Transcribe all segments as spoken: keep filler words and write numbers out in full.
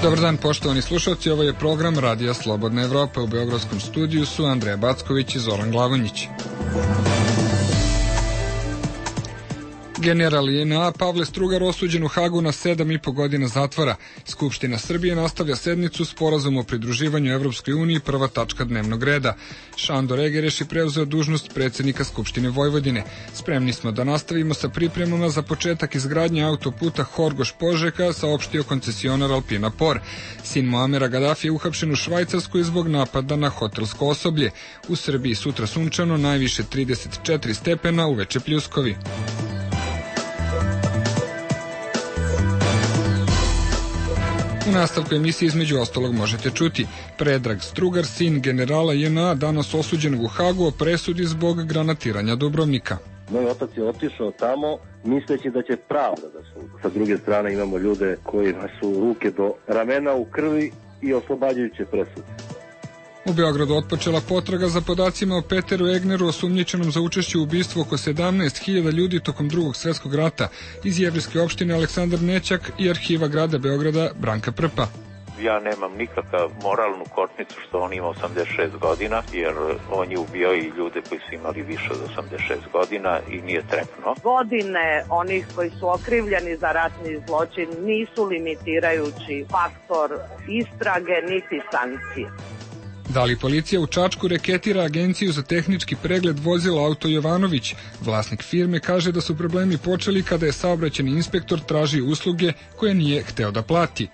Dobar dan, poštovani slušalci, ovo je program Radija Slobodna Evropa. U beogradskom studiju su Andreja Backović i Zoran Glavonjić. General J N A Pavle Strugar osuđen u Hagu na sedam i po godina zatvora. Skupština Srbije nastavlja sednicu Sporazum o pridruživanju Evropskoj uniji, prva tačka dnevnog reda. Šandor Egereš je preuzeo dužnost predsjednika Skupštine Vojvodine. Spremni smo da nastavimo sa pripremama za početak izgradnje autoputa Horgoš-Požega, saopštio koncesionar Alpina Por. Sin Muamera Gaddafi je uhapšen u Švajcarskoj zbog napada na hotelsko osoblje. U Srbiji sutra sunčano, najviše trideset četiri stepena, uveče pljuskovi. U nastavku emisije između ostalog možete čuti: Predrag Strugar, sin generala J N A, danas osuđen u Hagu o presudi zbog granatiranja Dubrovnika. Moj otac je otišao tamo misleći da će pravda da sudi. Sa druge strane imamo ljude kojima su ruke do ramena u krvi i oslobađajuće presude. U Beogradu otpočela potraga za podacima o Peteru Egneru, osumnjičenom za učešće u ubistvu oko sedamnaest hiljada ljudi tokom Drugog svjetskog rata, iz jevrejske opštine Aleksandar Nećak i arhiva grada Beograda Branka Prpa. Ja nemam nikakav moralnu kortnicu što on ima osamdeset šest godina, jer on je ubio i ljude koji su imali više od osamdeset šest godina i nije trepno. Godine onih koji su okrivljeni za ratni zločin nisu limitirajući faktor istrage niti sankcije. Da li policija u Čačku reketira agenciju za tehnički pregled vozila Auto Jovanović? Vlasnik firme kaže da su problemi počeli kada je saobraćajni inspektor tražio usluge koje nije hteo da plati.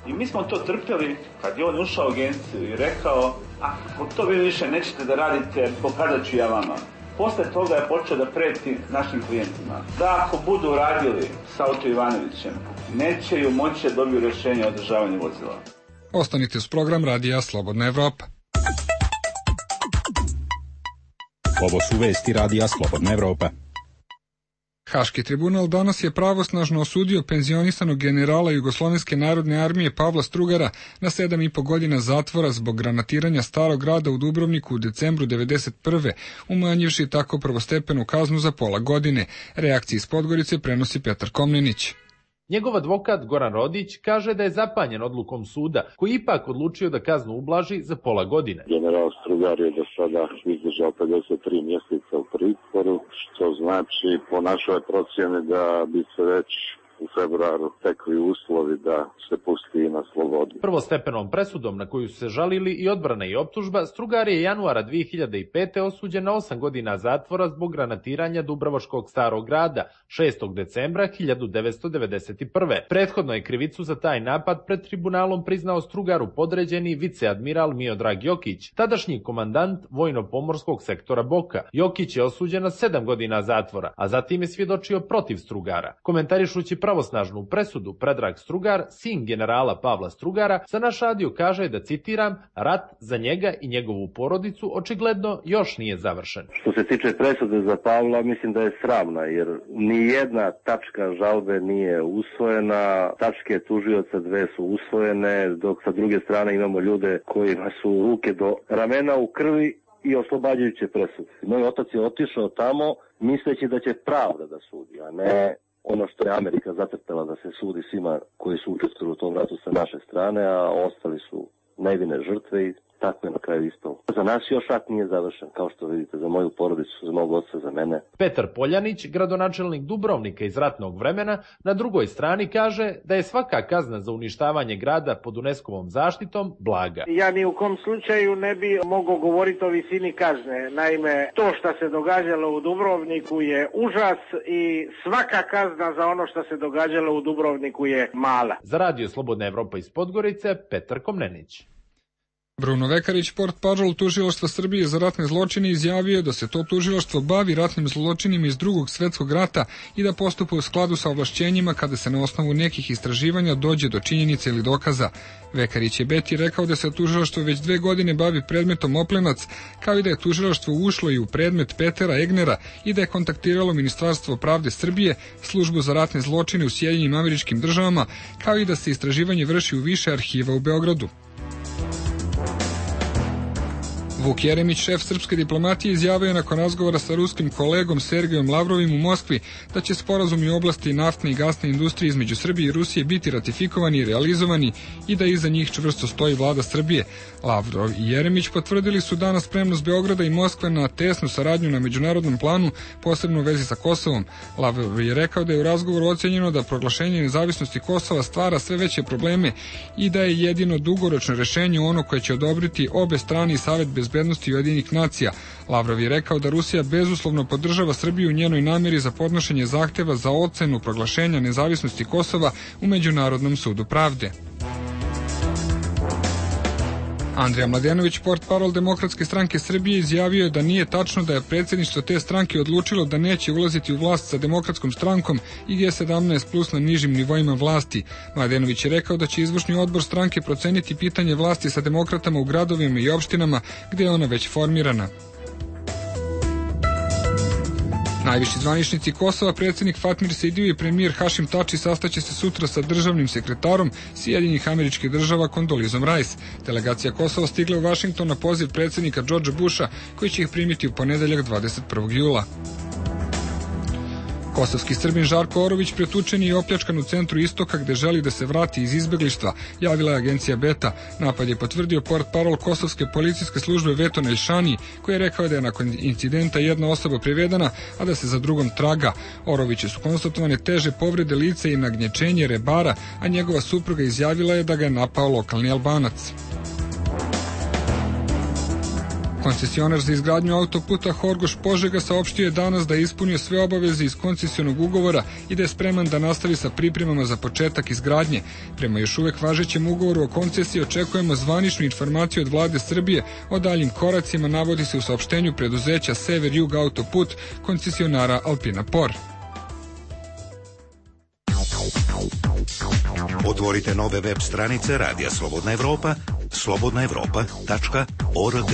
I mi smo to trpjeli kad je on ušao u agenciju i rekao: ako to vi više nećete da radite, pokazat ću ja vama. Posle toga je počeo da preti našim klijentima da ako budu radili sa Auto Jovanovićem, neće ju moći da dobiju rješenje o održavanju vozila. Ostanite uz program Radija Slobodna Evropa. Ovo su vesti Radija Slobodna Evropa. Haški tribunal danas je pravosnažno osudio penzionisanog generala Jugoslovenske narodne armije Pavla Strugara na sedam i po godina zatvora zbog granatiranja Starog grada u Dubrovniku u decembru devedeset prve, umanjivši tako prvostepenu kaznu za pola godine. Reakcije iz Podgorice prenosi Petar Komnenić. Njegov advokat Goran Rodić kaže da je zapanjen odlukom suda, koji ipak odlučio da kaznu ublaži za pola godine. General Strugar je do sada izdržao pedeset tri mjeseca u pritvoru, što znači po našoj procjeni da bi se već u februaru tekli uslovi da se pusti na slobodu. Prvostepenom presudom na koju su se žalili i odbrana i optužba, Strugar je januara dve hiljade pete. osuđen na osam godina zatvora zbog granatiranja Dubrovačkog Starog grada šestog decembra hiljadu devetsto devedeset prve. Prethodno je krivicu za taj napad pred tribunalom priznao Strugaru podređeni viceadmiral Miodrag Jokić, tadašnji komandant vojno-pomorskog sektora Boka. Jokić je osuđen na sedam godina zatvora, a zatim je svjedočio protiv Strugara. Komentarišući pravosnažnu presudu, Predrag Strugar, sin generala Pavla Strugara, za naš radio kaže da, citiram, rat za njega i njegovu porodicu očigledno još nije završen. Što se tiče presude za Pavla, mislim da je sramna, jer ni jedna tačka žalbe nije usvojena, tačke tužioca dve su usvojene, dok sa druge strane imamo ljude kojima su ruke do ramena u krvi i oslobađajuće presude. Moj otac je otišao tamo misleći da će pravda da sudi, a ne ono što je Amerika zacrtala da se sudi svima koji su učestvovali u tom ratu sa naše strane, a ostali su nevine žrtve i tako je na kraju ispalo. Za nas još rat nije završen, kao što vidite, za moju porodicu, za mog oca, za mene. Petar Poljanić, gradonačelnik Dubrovnika iz ratnog vremena, na drugoj strani kaže da je svaka kazna za uništavanje grada pod UNESCO-vom zaštitom blaga. Ja ni u kom slučaju ne bi mogao govoriti o visini kazne. Naime, to što se događalo u Dubrovniku je užas i svaka kazna za ono što se događalo u Dubrovniku je mala. Za Radio Slobodna Evropa iz Podgorice, Petar Komnenić. Bruno Vekarić, portparol tužilaštva Srbije za ratne zločine, izjavio da se to tužilaštvo bavi ratnim zločinima iz Drugog svjetskog rata i da postupa u skladu sa ovlašćenjima kada se na osnovu nekih istraživanja dođe do činjenica ili dokaza. Vekarić je Beti rekao da se tužilaštvo već dve godine bavi predmetom Oplenac, kao i da je tužilaštvo ušlo i u predmet Petera Egnera i da je kontaktiralo Ministarstvo pravde Srbije, službu za ratne zločine u Sjedinjenim Američkim Državama, kao i da se istraživanje vrši u više arhiva u Beogradu. Vuk Jeremić, šef srpske diplomatije, izjavio je nakon razgovora sa ruskim kolegom Sergejom Lavrovim u Moskvi da će sporazumi u oblasti naftne i gasne industrije između Srbije i Rusije biti ratifikovani i realizovani i da iza njih čvrsto stoji vlada Srbije. Lavrov i Jeremić potvrdili su danas spremnost Beograda i Moskve na tesnu saradnju na međunarodnom planu, posebno u vezi sa Kosovom. Lavrov je rekao da je u razgovoru ocenjeno da proglašenje nezavisnosti Kosova stvara sve veće probleme i da je jedino dugoročno rešenje ono koje će odobriti obe strane i Savet bezbednosti Ujedinjenih nacija. Lavrov je rekao da Rusija bezuslovno podržava Srbiju u njenoj nameri za podnošenje zahteva za ocenu proglašenja nezavisnosti Kosova u Međunarodnom sudu pravde. Andrija Mladenović, portparol Demokratske stranke Srbije, izjavio je da nije tačno da je predsjedništvo te stranke odlučilo da neće ulaziti u vlast sa Demokratskom strankom i G sedamnaest plus na nižim nivoima vlasti. Mladenović je rekao da će izvršni odbor stranke proceniti pitanje vlasti sa demokratama u gradovima i opštinama gde je ona već formirana. Najviši zvaničnici Kosova, predsjednik Fatmir Sejdiu i premijer Hašim Tači sastaće se sutra sa državnim sekretarom Sjedinjenih Američkih Država Kondolizom Rice. Delegacija Kosova stigla u Vašington na poziv predsjednika Džordža Busha, koji će ih primiti u ponedeljak dvadeset prvog jula. Kosovski Srbin Žarko Orović pretučen je i opljačkan u centru Istoka gde želi da se vrati iz izbeglištva, javila je agencija Beta. Napad je potvrdio portparol Kosovske policijske službe Veton Elšani, koji je rekao da je nakon incidenta jedna osoba privedena, a da se za drugom traga. Oroviću su konstatovane teže povrede lica i nagnječenje rebara, a njegova supruga izjavila je da ga je napao lokalni Albanac. Koncesionar za izgradnju autoputa Horgoš-Požega saopštio je danas da je ispunio sve obaveze iz koncesionog ugovora i da je spreman da nastavi sa pripremama za početak izgradnje. Prema još uvek važećem ugovoru o koncesiji očekujemo zvaničnu informaciju od vlade Srbije o daljim koracima, navodi se u saopštenju preduzeća Sever-Jug autoput koncesionara Alpina Por. Otvorite nove web stranice Radija Slobodna Evropa, slobodna evropa tačka org.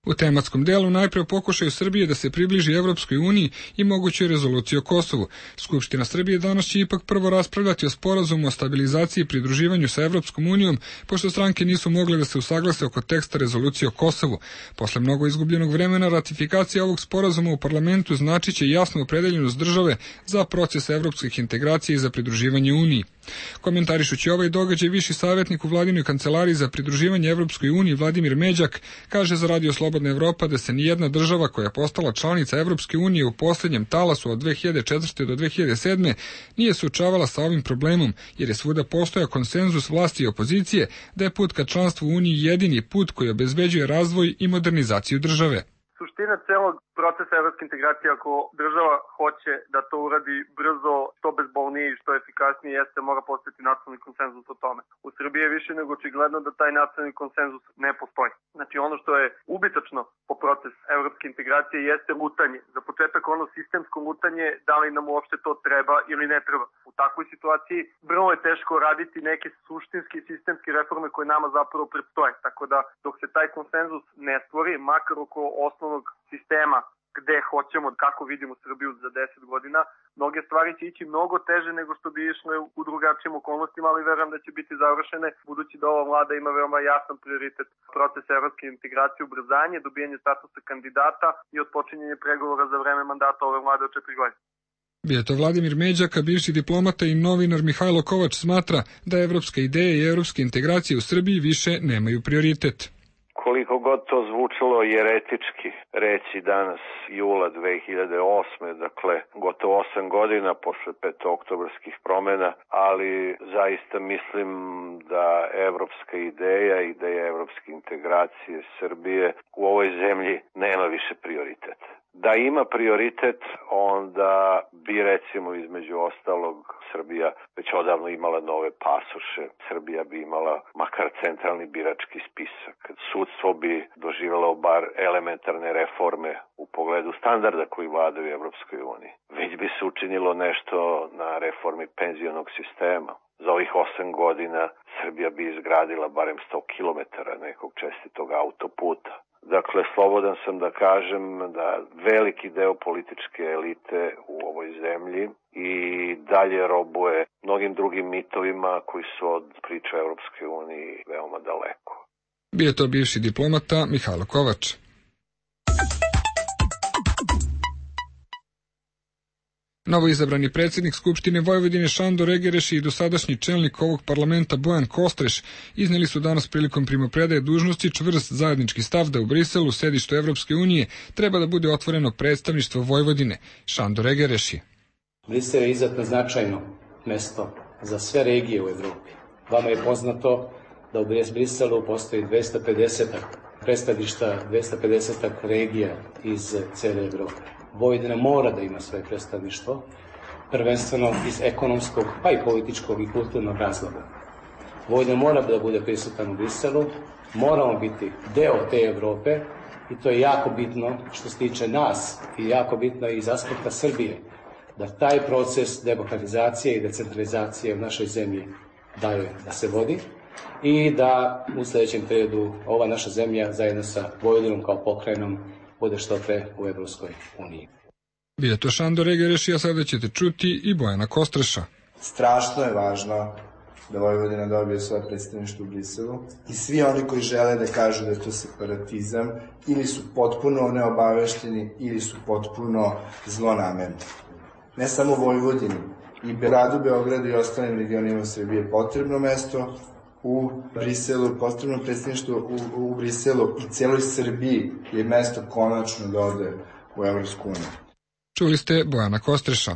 U tematskom delu najpre o pokušaju Srbije da se približi Evropskoj uniji i mogućoj rezoluciji o Kosovu. Skupština Srbije danas će ipak prvo raspravljati o sporazumu o stabilizaciji i pridruživanju sa Evropskom unijom, pošto stranke nisu mogle da se usaglase oko teksta rezolucije o Kosovu. Posle mnogo izgubljenog vremena, ratifikacija ovog sporazuma u parlamentu značiće jasnu opredeljenost države za proces evropskih integracija i za pridruživanje Uniji. Komentarišući ovaj događaj, viši savjetnik u vladinoj kancelariji za pridruživanje Evropskoj uniji Vladimir Međak kaže za Radio Slobodna Evropa da se nijedna država koja je postala članica Evropske unije u posljednjem talasu od dve hiljade četvrte do dve hiljade sedme nije suočavala sa ovim problemom, jer je svuda postojao konsenzus vlasti i opozicije da je put ka članstvu u Uniji jedini put koji obezbeđuje razvoj i modernizaciju države. Suština celog procesa evropske integracije, ako država hoće da to uradi brzo, što bezbolnije i što efikasnije, jeste mora postati nacionalni konsenzus o tome. U Srbiji je više nego očigledno da taj nacionalni konsenzus ne postoji. Znači ono što je ubitačno po proces evropske integracije jeste lutanje. Za početak ono sistemsko lutanje, da li nam uopšte to treba ili ne treba. U takvoj situaciji vrlo je teško raditi neke suštinske i sistemske reforme koje nama zapravo predstoje. Tako da dok se taj konsenzus ne stvori, makar oko osnovnog sistema gde hoćemo, kako vidimo Srbiju za deset godina, mnoge stvari će ići mnogo teže nego što bi išle u drugačijim okolnostima, ali verujem da će biti završene, budući da ova vlada ima veoma jasan prioritet proces evropske integracije, ubrzanje, dobijanje statusa kandidata i otpočinjanje pregovora za vreme mandata ove vlade od četiri godine. Bio je to Vladimir Međak, a bivši diplomata i novinar Mihajlo Kovač smatra da evropska ideja i evropske integracije u Srbiji više nemaju prioritet. Koliko god to zvučalo jeretički reći danas jula dve hiljade osme, dakle gotovo osam godina posle petooktobarskih promena, ali zaista mislim da evropska ideja i ideja evropske integracije Srbije u ovoj zemlji nema više prioritet. Da ima prioritet, onda bi recimo između ostalog Srbija već odavno imala nove pasoše, Srbija bi imala makar centralni birački spisak, sudstvo bi doživjelo bar elementarne reforme u pogledu standarda koji vladaju u Evropskoj uniji. Već bi se učinilo nešto na reformi penzionog sistema. Za ovih osam godina Srbija bi izgradila barem sto kilometara nekog čestitog autoputa. Dakle, slobodan sam da kažem da veliki deo političke elite u ovoj zemlji i dalje robuje mnogim drugim mitovima koji su od priče Evropske unije veoma daleko. Bio je to bivši diplomata Mihajlo Kovač. Novoizabrani predsjednik Skupštine Vojvodine Šandor Egereš i dosadašnji čelnik ovog parlamenta Bojan Kostreš iznijeli su danas prilikom primopredaje dužnosti čvrst zajednički stav da u Briselu, sedištu Evropske unije, treba da bude otvoreno predstavništvo Vojvodine. Šandor Egereš je. Brisel je izuzetno značajno mesto za sve regije u Evropi. Vama je poznato da u Briselu postoji dvesta pedeset predstavništa, dvesta pedeset regija iz cele Evrope. Vojvodina mora da ima svoje predstavništvo, prvenstveno iz ekonomskog, pa i političkog i kulturnog razloga. Vojvodina mora da bude prisutan u Briselu, moramo biti deo te Evrope i to je jako bitno što se tiče nas i jako bitno iz aspekta Srbije, da taj proces demokratizacije i decentralizacije u našoj zemlji daje da se vodi i da u sljedećem periodu ova naša zemlja zajedno sa Vojvodinom kao pokrajinom bude što pre u Evropskoj uniji. Bio je to Šandor Egereš, a sada ćete čuti i Bojana Kostreša. Strašno je važno da Vojvodina dobije svoje predstavništvo u Briselu i svi oni koji žele da kažu da je to separatizam ili su potpuno neobavešteni ili su potpuno zlonamerni. Ne samo Vojvodini, i gradu Beogradu i ostalim regionima Srbije je potrebno mesto u Briselu, potrebno predstavništvo u, u Briselu i celoj Srbiji je mesto konačno da ode u Evropsku uniju. Čuli ste Bojana Kostreša.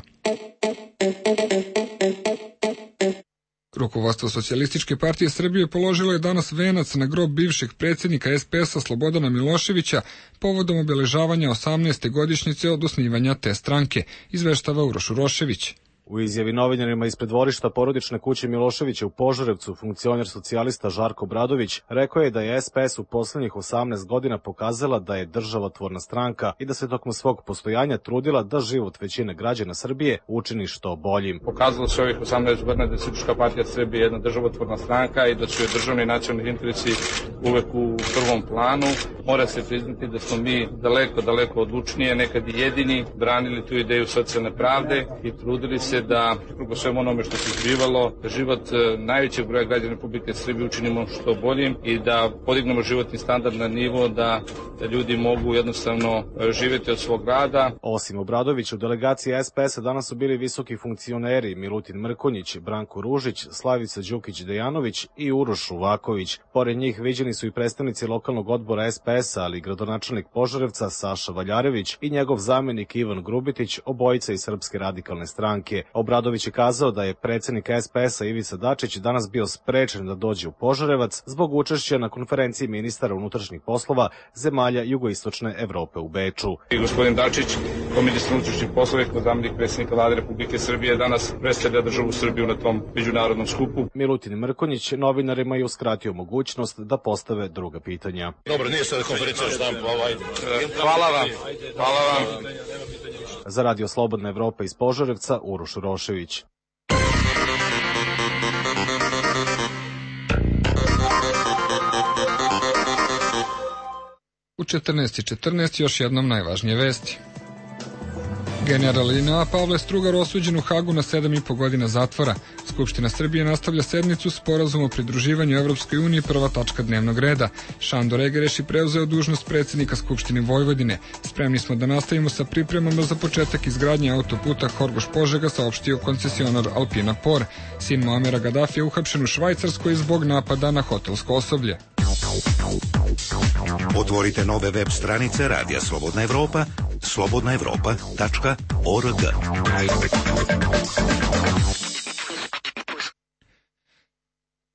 Rukovodstvo Socijalističke partije Srbije položilo je danas venac na grob bivšeg predsjednika es pe es-a Slobodana Miloševića povodom obeležavanja osamnaeste godišnjice od osnivanja te stranke, izveštava Uroš Urošević. U izjavi novinarima ispred dvorišta porodične kuće Miloševića u Požarevcu, funkcioner socijalista Žarko Bradović rekao je da je es pe es u poslednjih osamnaest godina pokazala da je državotvorna stranka i da se tokom svog postojanja trudila da život većine građana Srbije učini što boljim. Pokazalo se ovih osamnaest godina da je Socijalistička partija Srbije jedna državotvorna stranka i da su joj državni i nacionalni interesi uvek u prvom planu. Mora se priznati da smo mi daleko, daleko odlučnije, nekad i jedini, branili tu ideju socijalne pravde i trudili se da, preko svemu onome što se zbivalo, da život najvećeg broja građana Republike Srbije učinimo što boljim i da podignemo životni standard na nivo da, da ljudi mogu jednostavno živjeti od svog rada. Osim Obradovića, u delegaciji es pe es-a danas su bili visoki funkcioneri Milutin Mrkonjić, Branko Ružić, Slavica Đukić-Dejanović i Uroš Uvaković. Pored njih viđeni su i predstavnici lokalnog odbora es pe es-a, ali i gradonačelnik Požarevca Saša Valjarević i njegov zamenik Ivan Grubitić, obojica iz Srpske radikalne stranke. Obradović je kazao da je predsjednik es pe es-a Ivica Dačić danas bio sprečen da dođe u Požarevac zbog učešća na konferenciji ministara unutrašnjih poslova zemalja jugoistočne Evrope u Beču. I gospodin Dačić, kao ministar unutrašnjih poslova i kao zamenik predsjednika Vlade Republike Srbije, danas predstavlja državu Srbiju na tom međunarodnom skupu. Milutin Mrkonjić novinarima je uskratio mogućnost da postave druga pitanja. Dobro, nije sada konferencija štampa, ovaj. Hvala vam. Hvala vam. Za Radio Slobodna Evropa iz Požarevca, Uroš Urošević. U četrnaest i četrnaest još jednom najvažnije vesti. General I N A Pavle Strugar osuđen u Hagu na sedam i po godina zatvora. Skupština Srbije nastavlja sednicu sporazum o pridruživanju Evropskoj uniji, prva tačka dnevnog reda. Šandor Egereš je preuzeo dužnost predsjednika Skupštine Vojvodine. Spremni smo da nastavimo sa pripremama za početak izgradnje autoputa Horgoš-Požega, saopštio koncesionar Alpina Por. Sin Muamera Gadafija uhapšen u Švajcarskoj zbog napada na hotelsko osoblje. Otvorite nove web stranice Radija Slobodna Evropa, slobodna evropa tačka org.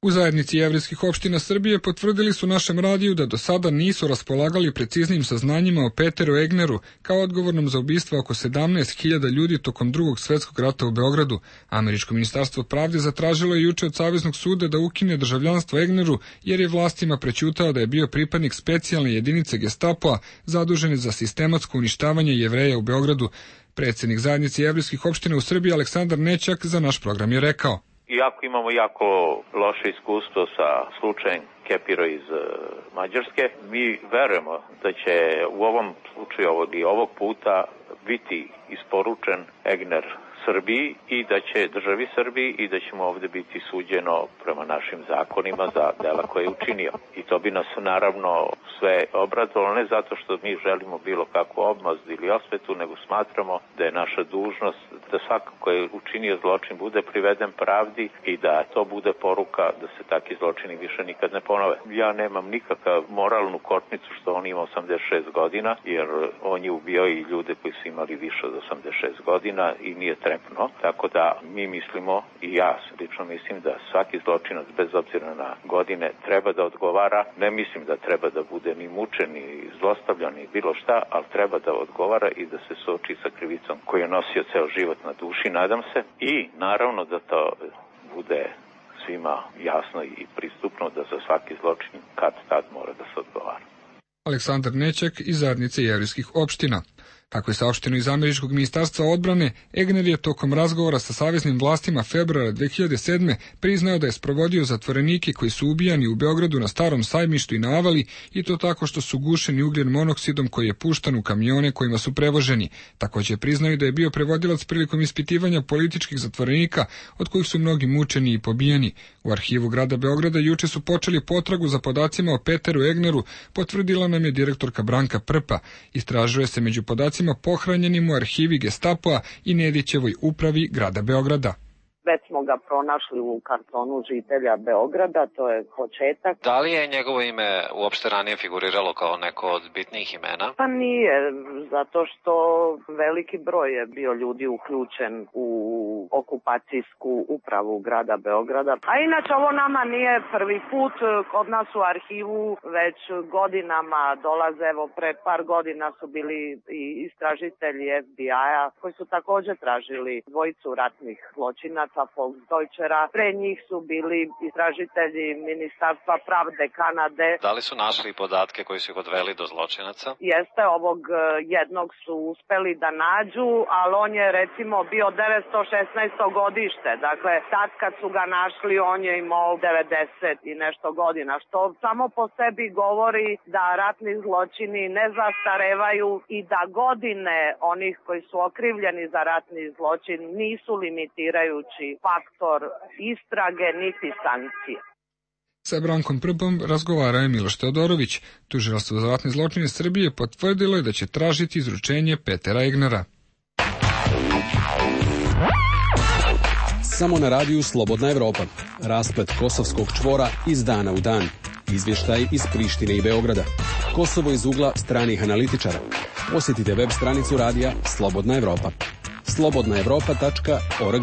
U zajednici jevrejskih opština Srbije potvrdili su našem radiju da do sada nisu raspolagali preciznim saznanjima o Peteru Egneru kao odgovornom za ubistvo oko sedamnaest hiljada ljudi tokom drugog svetskog rata u Beogradu. Američko ministarstvo pravde zatražilo je juče od Saveznog suda da ukine državljanstvo Egneru jer je vlastima prećutao da je bio pripadnik specijalne jedinice Gestapoa zadužene za sistematsko uništavanje Jevreja u Beogradu. Predsjednik zajednice jevrejskih opština u Srbiji Aleksandar Nećak za naš program je rekao: iako imamo jako loše iskustvo sa slučajem Kepiro iz Mađarske, mi verujemo da će u ovom slučaju i ovog puta biti isporučen Egner Srbiji i da će državi Srbiji i da ćemo ovde biti suđeno prema našim zakonima za dela koje je učinio. I to bi nas naravno sve obradovalo, ne zato što mi želimo bilo kakvu obmazdu ili osvetu, nego smatramo da je naša dužnost da svako ko je učinio zločin bude priveden pravdi i da to bude poruka da se takvi zločini više nikad ne ponove. Ja nemam nikakav moralnu kotnicu što on ima osamdeset šest godina, jer on je ubio i ljude koji su imali više od osamdeset šest godina i nije trebalo. Tako da mi mislimo, i ja lično mislim, da svaki zločinac bez obzira na godine treba da odgovara. Ne mislim da treba da bude ni mučen, ni zlostavljan, ni bilo šta, ali treba da odgovara i da se suoči sa krivicom koju je nosio ceo život na duši, nadam se. I naravno da to bude svima jasno i pristupno da za svaki zločin kad tad mora da se odgovara. Aleksandar Nećak iz Zajednice jevrejskih opština. Kako je saopšteno iz Američkog ministarstva odbrane, Egner je tokom razgovora sa saveznim vlastima februara dve hiljade sedme priznao da je sprovodio zatvorenike koji su ubijani u Beogradu na Starom sajmištu i na Avali, i to tako što su gušeni ugljen monoksidom koji je puštan u kamione kojima su prevoženi. Takođe priznaju da je bio prevodilac prilikom ispitivanja političkih zatvorenika, od kojih su mnogi mučeni i pobijeni. U arhivu grada Beograda juče su počeli potragu za podacima o Peteru Egneru, potvrdila nam je direktorka Branka Prpa. Istražuje se među podacima pohranjenim u arhivi Gestapoa i Nedićevoj upravi grada Beograda. Već smo ga pronašli u kartonu žitelja Beograda, to je početak. Da li je njegovo ime uopšte ranije figuriralo kao neko od bitnijih imena? Pa nije, zato što veliki broj je bio ljudi uključen u okupacijsku upravu grada Beograda. A inače ovo nama nije prvi put, kod nas u arhivu već godinama dolaze, evo pre par godina su bili i istražitelji F B I-a koji su također tražili dvojicu ratnih zločinaca Volksdeutschera. Pre njih su bili istražitelji Ministarstva pravde Kanade. Da li su našli podatke koji su ih odveli do zločinaca? Jeste, ovog jednog su uspeli da nađu, ali on je recimo bio devetsto šesnaesto godište. Dakle, tad kad su ga našli, on je imao devedeset i nešto godina, što samo po sebi govori da ratni zločini ne zastarevaju i da godine onih koji su okrivljeni za ratni zločin nisu limitirajući faktor istrage niti sankcije. Sa Brankom Prpom razgovarao je Miloš Teodorović. Tužilaštvo za ratne zločine Srbije potvrdilo je da će tražiti izručenje Petera Egnera. Samo na radiju Slobodna Evropa. Rasplet kosovskog čvora iz dana u dan. Izvještaj iz Prištine i Beograda. Kosovo iz ugla stranih analitičara. Posjetite web stranicu radija Slobodna Evropa. slobodna evropa tačka org.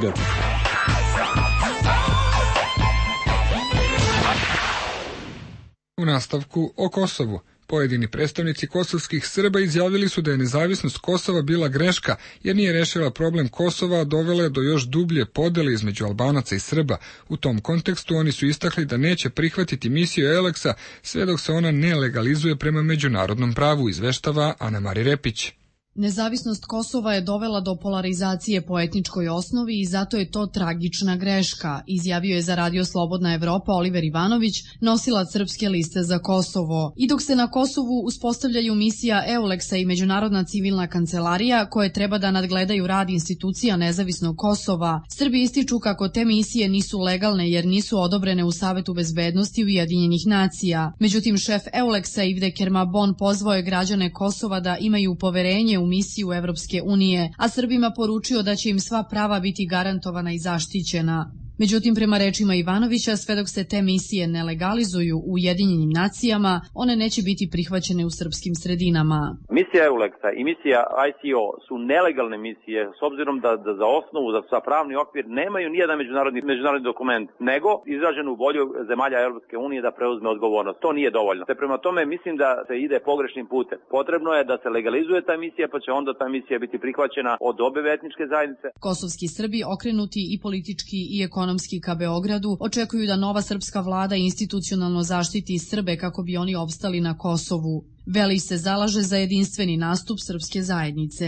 U nastavku o Kosovu. Pojedini predstavnici kosovskih Srba izjavili su da je nezavisnost Kosova bila greška, jer nije rešila problem Kosova, a dovela je do još dublje podele između Albanaca i Srba. U tom kontekstu oni su istakli da neće prihvatiti misiju Euleksa sve dok se ona ne legalizuje prema međunarodnom pravu, izveštava Ana Mari Repić. Nezavisnost Kosova je dovela do polarizacije po etničkoj osnovi i zato je to tragična greška, izjavio je za Radio Slobodna Evropa Oliver Ivanović, nosilac Srpske liste za Kosovo. I dok se na Kosovu uspostavljaju misija Euleksa i Međunarodna civilna kancelarija, koje treba da nadgledaju rad institucija nezavisnog Kosova, Srbi ističu kako te misije nisu legalne jer nisu odobrene u Savetu bezbednosti Ujedinjenih nacija. Međutim, šef Euleksa Ivde Kermabon pozvao je građane Kosova da imaju poverenje u misiju Evropske unije, a Srbima poručio da će im sva prava biti garantovana i zaštićena. Međutim, prema rečima Ivanovića, sve dok se te misije ne legalizuju u Ujedinjenim nacijama, one neće biti prihvaćene u srpskim sredinama. Misija Euleksa i misija I C O su nelegalne misije, s obzirom da, da za osnovu, da za pravni okvir nemaju nijedan međunarodni, međunarodni dokument, nego izraženu volju zemalja Evropske unije da preuzme odgovornost. To nije dovoljno. Te prema tome mislim da se ide pogrešnim putem. Potrebno je da se legalizuje ta misija, pa će onda ta misija biti prihvaćena od obe etničke zajednice. Kosovski Srbi, okrenuti i politički i ekonomski ka Beogradu, očekuju da nova srpska vlada institucionalno zaštiti Srbe kako bi oni opstali na Kosovu. Velić se zalaže za jedinstveni nastup srpske zajednice.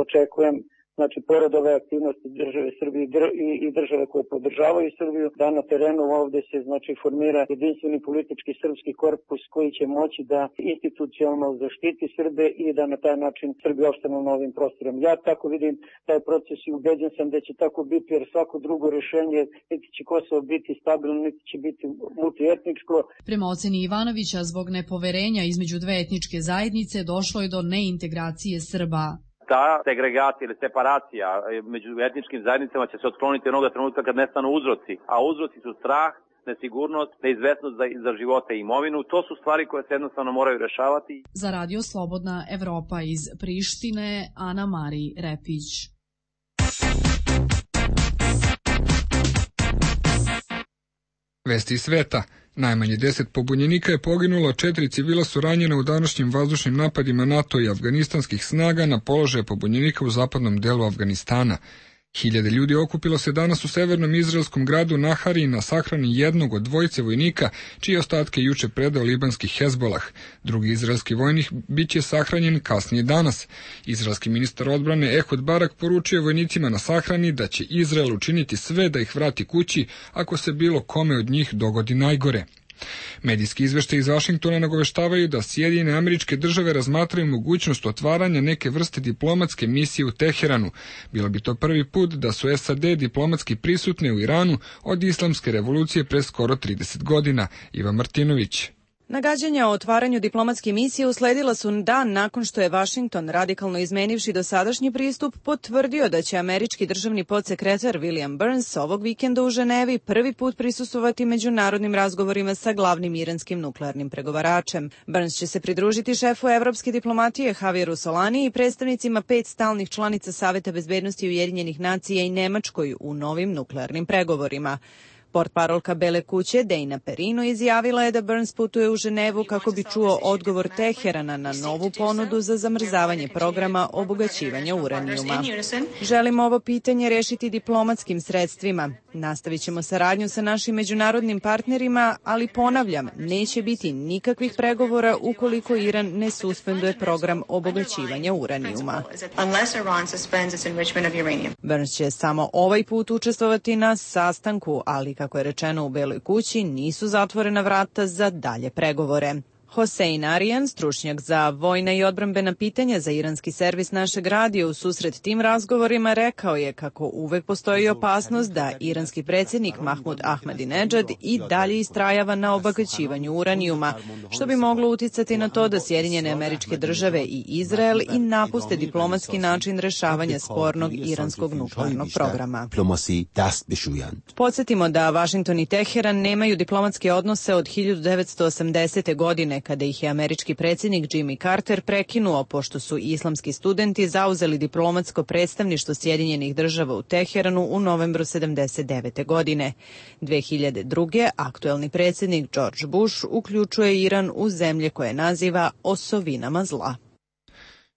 Očekujem znači pored ove aktivnosti države Srbije i države koje podržavaju Srbiju, da na terenu ovde se znači formira jedinstveni politički srpski korpus koji će moći da institucionalno zaštiti Srbe i da na taj način Srbi opstanu na novim prostorom. Ja tako vidim taj proces i ubeđen sam da će tako biti, jer svako drugo rešenje niti će Kosovo biti stabilno, niti će biti multietničko. Prema oceni Ivanovića, zbog nepoverenja između dve etničke zajednice došlo je do neintegracije Srba. Ta segregacija ili separacija među etničkim zajednicama će se otkloniti onoga trenutka kad nestanu uzroci, a uzroci su strah, nesigurnost, neizvesnost za, za živote i imovinu. To su stvari koje se jednostavno moraju rešavati. Za Radio Slobodna Evropa iz Prištine, Ana Mari Repić. Vesti iz sveta. Najmanje deset pobunjenika je poginulo, četiri civila su ranjena u današnjim vazdušnim napadima NATO i afganistanskih snaga na položaje pobunjenika u zapadnom delu Afganistana. Hiljade ljudi okupilo se danas u severnom izraelskom gradu Nahari na sahrani jednog od dvojice vojnika, čije ostatke juče predao libanski Hezbolah. Drugi izraelski vojnik biće sahranjen kasnije danas. Izraelski ministar odbrane Ehud Barak poručio vojnicima na sahrani da će Izrael učiniti sve da ih vrati kući ako se bilo kome od njih dogodi najgore. Medijski izveštaji iz Vašingtona nagoveštavaju da Sjedinjene Američke Države razmatraju mogućnost otvaranja neke vrste diplomatske misije u Teheranu. Bilo bi to prvi put da su S A D diplomatski prisutne u Iranu od islamske revolucije pre skoro trideset godina. Iva Martinović. Nagađanja o otvaranju diplomatske misije usledila su dan nakon što je Vašington, radikalno izmenivši dosadašnji pristup, potvrdio da će američki državni podsekretar William Burns ovog vikenda u Ženevi prvi put prisustvovati međunarodnim razgovorima sa glavnim iranskim nuklearnim pregovaračem. Burns će se pridružiti šefu evropske diplomatije Javieru Solani i predstavnicima pet stalnih članica Saveta bezbednosti Ujedinjenih nacija i Nemačkoj u novim nuklearnim pregovorima. Portparolka Bele kuće Dejna Perino izjavila je da Burns putuje u Ženevu kako bi čuo odgovor Teherana na novu ponudu za zamrzavanje programa obogaćivanja uranijuma. Želimo ovo pitanje rešiti diplomatskim sredstvima. Nastavit ćemo saradnju sa našim međunarodnim partnerima, ali ponavljam, neće biti nikakvih pregovora ukoliko Iran ne suspenduje program obogaćivanja uranijuma. Burns će samo ovaj put učestvovati na sastanku, ali kako je rečeno u Beloj kući, nisu zatvorena vrata za dalje pregovore. Hossein Arijan, stručnjak za vojna i odbrambena pitanja za iranski servis našeg radija, u susret tim razgovorima rekao je kako uvek postoji opasnost da iranski predsjednik Mahmud Ahmadinejad i dalje istrajava na obogaćivanju uranijuma, što bi moglo uticati na to da Sjedinjene Američke Države i Izrael i napuste diplomatski način rešavanja spornog iranskog nuklearnog programa. Podsjetimo da Vašington i Teheran nemaju diplomatske odnose od hiljadu devetsto osamdesete. godine, kada ih je američki predsjednik Jimmy Carter prekinuo pošto su islamski studenti zauzeli diplomatsko predstavništvo Sjedinjenih Država u Teheranu u novembru sedamdeset devete. godine. dve hiljade druge. aktuelni predsjednik George Bush uključuje Iran u zemlje koje naziva osovinama zla.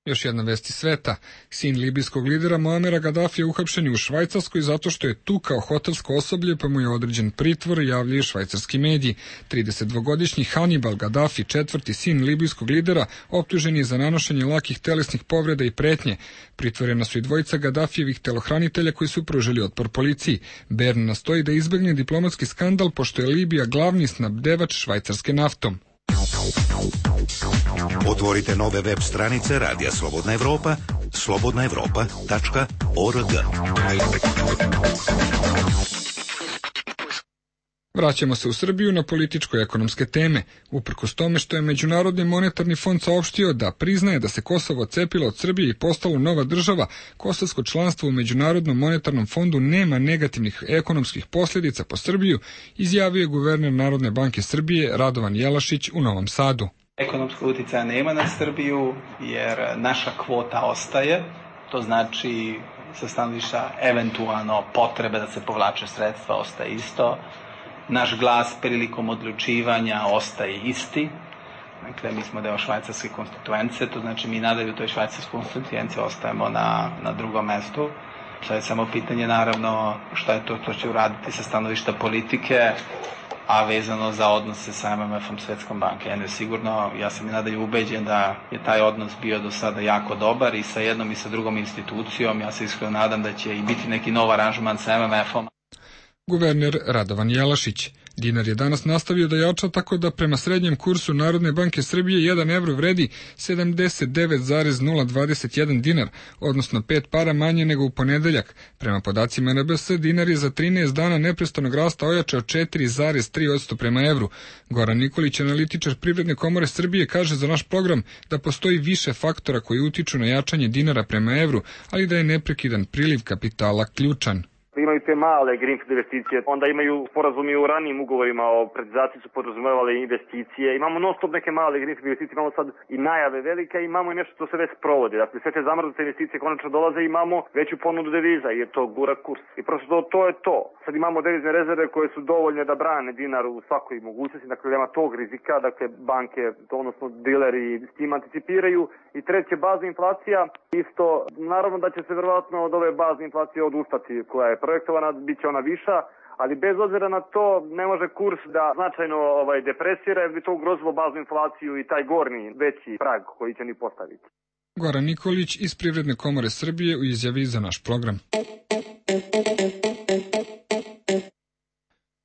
Još jedna vest iz sveta. Sin libijskog lidera Muamera Gadafija uhapšen je u Švajcarskoj zato što je tukao hotelsko osoblje, pa mu je određen pritvor, javljaju švajcarski mediji. tridesetdvogodišnji Hannibal Gaddafi, četvrti sin libijskog lidera, optužen je za nanošenje lakih telesnih povreda i pretnje. Pritvorena su i dvojica Gaddafijevih telohranitelja koji su pružili otpor policiji. Bern nastoji da izbegne diplomatski skandal pošto je Libija glavni snabdevač Švajcarske naftom. Otvorite nove web stranice Radija Slobodna Evropa, slobodna evropa tačka org. Vraćamo se u Srbiju na političko-ekonomske teme. Uprkos tome što je Međunarodni monetarni fond saopštio da priznaje da se Kosovo odcepilo od Srbije i postalo nova država, kosovsko članstvo u Međunarodnom monetarnom fondu nema negativnih ekonomskih posljedica po Srbiju, izjavio je guverner Narodne banke Srbije Radovan Jelašić u Novom Sadu. Ekonomskog uticaja nema na Srbiju jer naša kvota ostaje, to znači sa stanovišta eventualno potrebe da se povlače sredstva ostaje isto. Naš glas prilikom odlučivanja ostaje isti. Dakle, mi smo deo švajcarske konstituence, to znači mi nadalje u toj švajcarskoj konstituenci ostajemo na, na drugom mestu. To je samo pitanje, naravno, šta je to što će uraditi sa stanovišta politike, a vezano za odnose sa M M F-om Svetskom banke. Jedno je sigurno, ja sam i nadalje ubeđen da je taj odnos bio do sada jako dobar i sa jednom i sa drugom institucijom. Ja se iskreno nadam da će i biti neki nov aranžman sa M M F-om. Guverner Radovan Jelašić. Dinar je danas nastavio da jača tako da prema srednjem kursu Narodne banke Srbije jedan evro vredi sedamdeset devet zarez nula dvadeset jedan dinar, odnosno pet para manje nego u ponedeljak. Prema podacima N B S, dinar je za trinaest dana neprestanog rasta ojačao četiri zarez tri posto prema evru. Goran Nikolić, analitičar Privredne komore Srbije, kaže za naš program da postoji više faktora koji utiču na jačanje dinara prema evru, ali da je neprekidan priliv kapitala ključan. Imaju te male greenfield investicije, onda imaju sporazumi u ranijim ugovorima o privatizaciji su podrazumevale investicije. Imamo non stop neke male greenfield investicije, imamo sad i najave velike, imamo i nešto što se već sprovodi. Dakle, sve te zamrznute investicije konačno dolaze i imamo veću ponudu deviza, jer to gura kurs. I prosto to, to je to. Sad imamo devizne rezerve koje su dovoljne da brane dinar u svakoj mogućnosti, dakle nema tog rizika, dakle banke, odnosno dileri s tim anticipiraju. I treće, bazna inflacija, isto, naravno da će se verovatno od ove bazne inflacije odustati koja je projektovana, bit će ona viša, ali bez obzira na to ne može kurs da značajno ovaj, depresira, jer bi to ugrozilo baznu inflaciju i taj gornji veći prag koji će ni postaviti. Goran Nikolić iz Privredne komore Srbije u izjavi za naš program.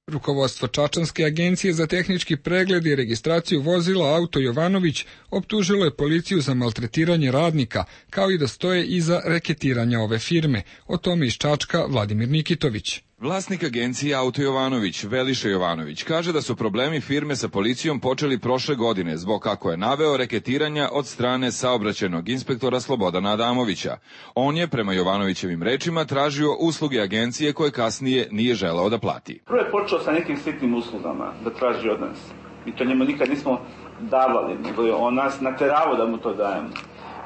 Rukovodstvo Čačanske agencije za tehnički pregled i registraciju vozila Auto Jovanović optužilo je policiju za maltretiranje radnika, kao i da stoje iza reketiranja ove firme. O tome iz Čačka Vladimir Nikitović. Vlasnik agencije Auto Jovanović, Veliša Jovanović, kaže da su problemi firme sa policijom počeli prošle godine zbog, kako je naveo, reketiranja od strane saobraćajnog inspektora Slobodana Adamovića. On je, prema Jovanovićevim rečima, tražio usluge agencije koje kasnije nije želeo da plati. Prvo je počeo sa nekim sitnim uslugama da traži od nas. I to njemu nikad nismo davali, nego je on nas nateravao da mu to dajemo.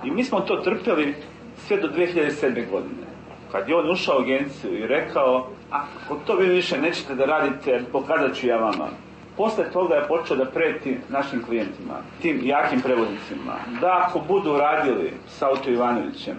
I mi smo to trpjeli sve do dve hiljade sedme. godine. Kad je on ušao u agenciju i rekao, ako to vi više nećete da radite, pokazat ću ja vama. Posle toga je počeo da preti našim klijentima, tim jakim prevoznicima, da ako budu radili sa Auto Ivanovićem,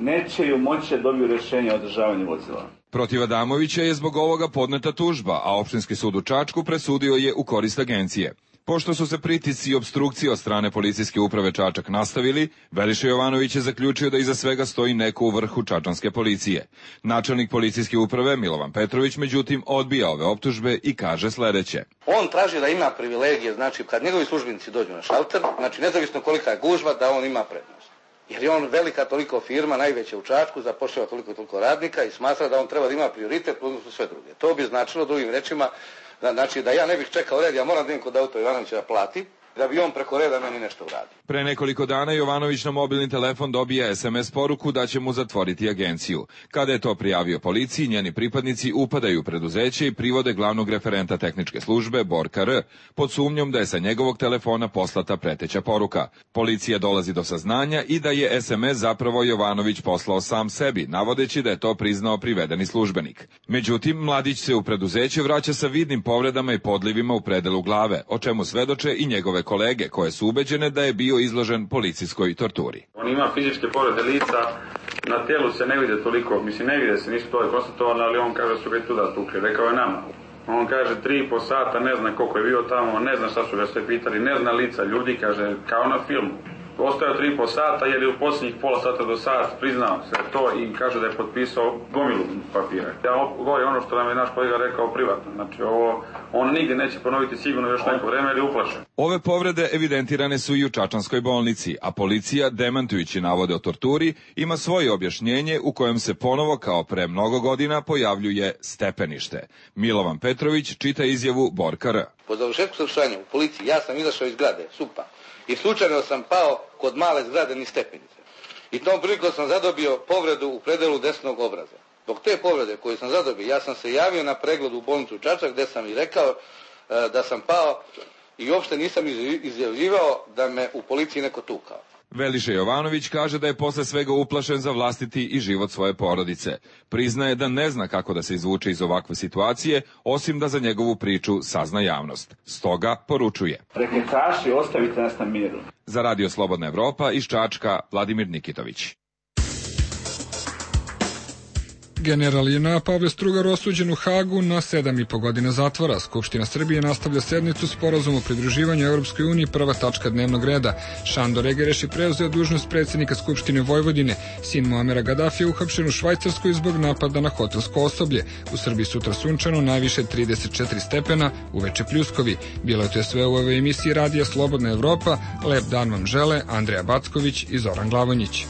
neće ju moći da dobiju rješenje o održavanju vozila. Protiv Adamovića je zbog ovoga podneta tužba, a Opštinski sud u Čačku presudio je u korist agencije. Pošto su se pritisci i opstrukcije od strane policijske uprave Čačak nastavili, Veliša Jovanović je zaključio da iza svega stoji neko u vrhu čačanske policije. Načelnik policijske uprave Milovan Petrović, međutim, odbija ove optužbe i kaže sledeće. On traži da ima privilegije, znači kad njegovi službenici dođu na šalter, znači nezavisno kolika je gužva, da on ima prednost. Jer je on velika toliko firma, najveća u Čačku, zapošljava toliko i toliko radnika i smatra da on treba da ima prioritet u odnosu sve druge. To bi značilo, drugim rečima, znači da ja ne bih čekao red, ja moram da idem kod Auto Ivanovića da plati, da bi on preko reda meni nešto uradio. Pre nekoliko dana Jovanović na mobilni telefon dobija es em es poruku da će mu zatvoriti agenciju. Kada je to prijavio policiji, njeni pripadnici upadaju u preduzeće i privode glavnog referenta tehničke službe Borka R, pod sumnjom da je sa njegovog telefona poslata preteća poruka. Policija dolazi do saznanja i da je es em es zapravo Jovanović poslao sam sebi, navodeći da je to priznao privedeni službenik. Međutim, mladić se u preduzeće vraća sa vidnim povredama i podlivima u predelu glave, o čemu svedoče i njegove kolege, koje su ubeđene da je bio izložen policijskoj torturi. On ima fizičke povrede lica, na telu se ne vide toliko, mislim ne vide se, nisu to konstatovano, ali on kaže da su ga i tuda tukli, rekao je nama. On kaže tri i po sata, ne zna koliko je bio tamo, ne zna šta su ga sve pitali, ne zna lica ljudi, kaže kao na filmu. Ostao tri i po sata jer je u posljednjih pola sata do sat priznao se to i kaže da je potpisao gomilu papira. Ja govorim ono što nam je naš kolega rekao privatno. Znači ovo, on nigdje neće ponoviti sigurno još neko vreme jer je uplašen. Ove povrede evidentirane su i u Čačanskoj bolnici, a policija, demantujući navode o torturi, ima svoje objašnjenje u kojem se ponovo kao pre mnogo godina pojavljuje stepenište. Milovan Petrović čita izjavu Borka R. Po završetku saslušanja u policiji ja sam izašao iz zgrade, supa. I slučajno sam pao kod male zgrade niz stepenice. I tom prilikom sam zadobio povredu u predelu desnog obraza. Zbog te povrede koju sam zadobio, ja sam se javio na pregled u bolnicu Čačak gde sam i rekao e, da sam pao i uopšte nisam izjavljivao da me u policiji neko tukao. Veliša Jovanović kaže da je posle svega uplašen za vlastiti i život svoje porodice. Priznaje da ne zna kako da se izvuče iz ovakve situacije, osim da za njegovu priču sazna javnost. Stoga poručuje. Reketaši, ostavite nas na miru. Za Radio Slobodna Evropa iz Čačka, Vladimir Nikitović. General J N A Pavle Strugar osuđen u Hagu na sedam i po godina zatvora. Skupština Srbije nastavlja sednicu sporazum o pridruživanju Evropskoj uniji, prva tačka dnevnog reda. Šandor Egereš je preuzeo dužnost predsjednika Skupštine Vojvodine. Sin Muamera Gadafija uhapšen u Švajcarskoj zbog napada na hotelsko osoblje. U Srbiji sutra sunčano, najviše trideset četiri stepena, uveče pljuskovi. Bilo je to sve u ovoj emisiji Radija Slobodna Evropa. Lep dan vam žele Andreja Backović i Zoran Glavonjić.